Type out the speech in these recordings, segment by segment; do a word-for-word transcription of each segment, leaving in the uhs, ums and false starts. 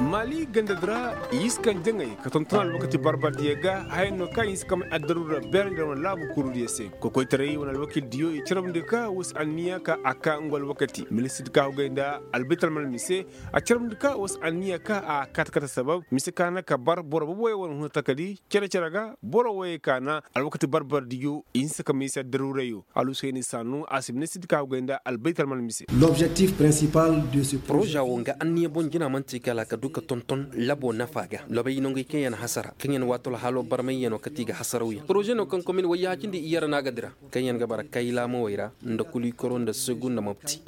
Maali ganda di ra, i si kaŋ jaŋay ka tonton alwakati barbardiyo ga. Haya no kaŋ i si kamay addaru ra beerandi ra wane laabu kurudiyo se. Kokoytaray wane alwakildiyo i carabndi ka wo si anniya ka a ka ngu alwakati ministir di ka hugay nda albayt almalmi se. A carabndi ka wo si anniya ka a kaata kaata sabab mise ka na ka bar boro boboyo wane huna takadi cere cere ga. Boro woyey ka na alwakati barbardiyo i hinsa ka mise addaru rayo. Alusu heni saanu a si ministir di ka hugay nda albayt almalmi se. Poroza wo nga anniya boŋ jina man'ti kala ka du ka tonton labo nafa ga labay nongey kaŋ yaŋ hasara kaŋ yaŋ waato alhaalo barmayyaŋo kate i ga hasarawyaŋ poroze no kaŋ komin wayyaacindi i yara no a ga dira kaŋ yaŋ ga bara kaylaamawey ra nda kulikoro nda segu nda mopti.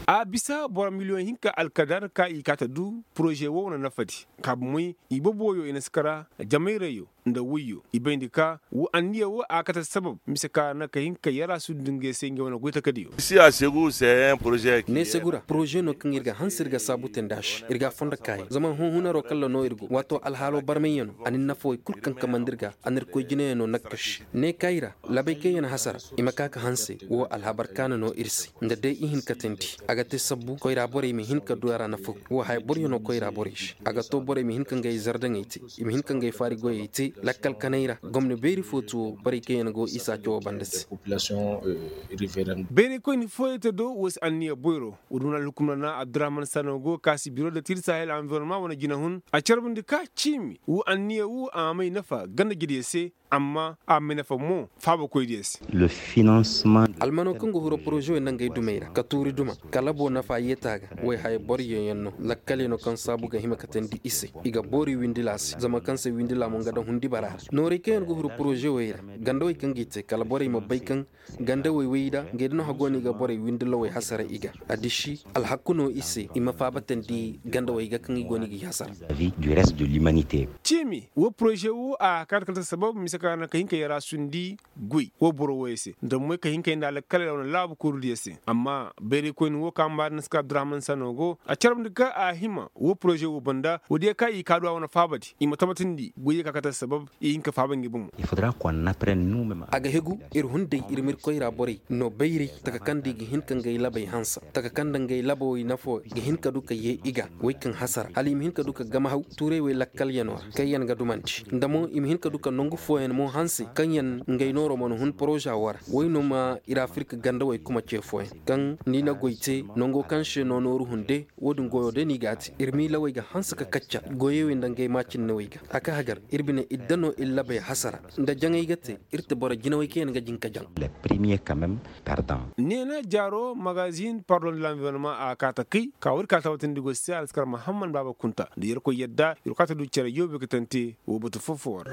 A bisa boro miliyoŋ hinka alkadar ka i kaata du poroze wo wane nafadi. Kaabumoy i boboyo i na si kara jamayrayyo nda woyyo i bayndi ka wo anniya wo a kate sabab mise ka na ka hin ka yara sundi ngey se ngey wane goy takadiyo. Ne segu ra poroze no kaŋ ir ga hanse ir ga saabu te nda se ir ga a fondo kaayaŋ zama hunhunaro kalla no ir go waato alhaalo barmayyano a na ir nafawey kul kaŋ kamandi ir ga a na ir koy jinayaŋo nakkaši ne kaayi ra labay kaŋ yaŋ hasara i ma ka ka hanse wo alhabar kaana no ir se nda day i hin ka teendi a ga te sabbu koyra borey ma hin ka du a ra nafaw. Wo haya boryaŋo koyra borey se a ga to borey ma hin ka ngey zardaŋey te i ma hin ka ngey faari goyey te lakkal kanay ra gomna beeri fo ti wo borey kaŋ yaŋ go isa cawo banda se. Bayraykoyni fooyaŋ te do wo si anniya boyro wo duma na alhukumna na abdurahman sano go kaasi biro da tir sahel environnement wane jinahun a carbundi ka ciimi wo anniya wo a ma may nafa ganda jediyo se. Amma a ma may nafa mo faabakoydiyo se. Almano kaŋ ga huro poroze wey nda ngey dumey ra ka tuuri duma kala boo nafa yeeta ga. Wey haya boryoyaŋ no lakkalyaŋo kaŋ saabu ga hima ka teendi i se i ga boori windila se zama kaŋ se windila mo nga daŋ hundi bara ra noorey kaŋ yaŋ ga huru poroze wey ra gandawey kaŋ g'i te kala borey ma bay kaŋ gandawey wey da ngey da no hago no i ga borey windilawey hasara i ga. Addiši alhakku no i se i ma faabatandi gandawey ga kaŋ i go no i g'i hasara. Ciimi wo poroze wo a kaata kala ta sabab mise kaŋ a naŋ ka hin ka yara sundi goy wo boro woyey se nda moy ka hin ka yanda alakkaley ra wane laabu kurudiyo se. Amma bayraykoyni wo kaŋ a maari naska abdurahman sano go a carabndi ka a hima wo poroze wo banda woodiyo kaŋ i kaadu a wane faabadi i ma tabatindi goydiyo kaŋ a kaata sabab i hin ka faaba ngey bomo. A ga hegu ir hunday ir ma ir koyra borey no bayray taka kaŋ da i ga hin ka ngey labey hansa taka kaŋ da ngey labawey nafo ga hin ka du ka yee i ga wey kaŋ hasara hala i ma hin ka du ka gamahaw tuuray wey lakkalyanoo ra kaŋ yaŋ ga dumandi nda mo i ma hin ka du ka nongu fooyaŋ mo hanse kaŋ yaŋ ngey nooro mana hun poroza wo ra. Wey no ma ir afirka gandawey kuma ce fooyaŋ kaŋ ni na goy te nongo kaŋ se no nooru hunde. Wo-din goyo day no i g'a te ir miilawey ga hanse ka kacca goyey wey nda ngey maacinnawey ga a ka hagar ir bine idda no ir labey hasara nda jaŋey ga te ir te boro jinawey kaŋ yaŋ ga jin ka jaŋ. Neena jaaro magazin pardon de l'environnement a kaa takay ka war ir ka tabatindi goy se alskar mahammad baaba kunta nda yerkoy yadda ir kaa ta du cere yoobe ga tante woo batu foo-foo ra.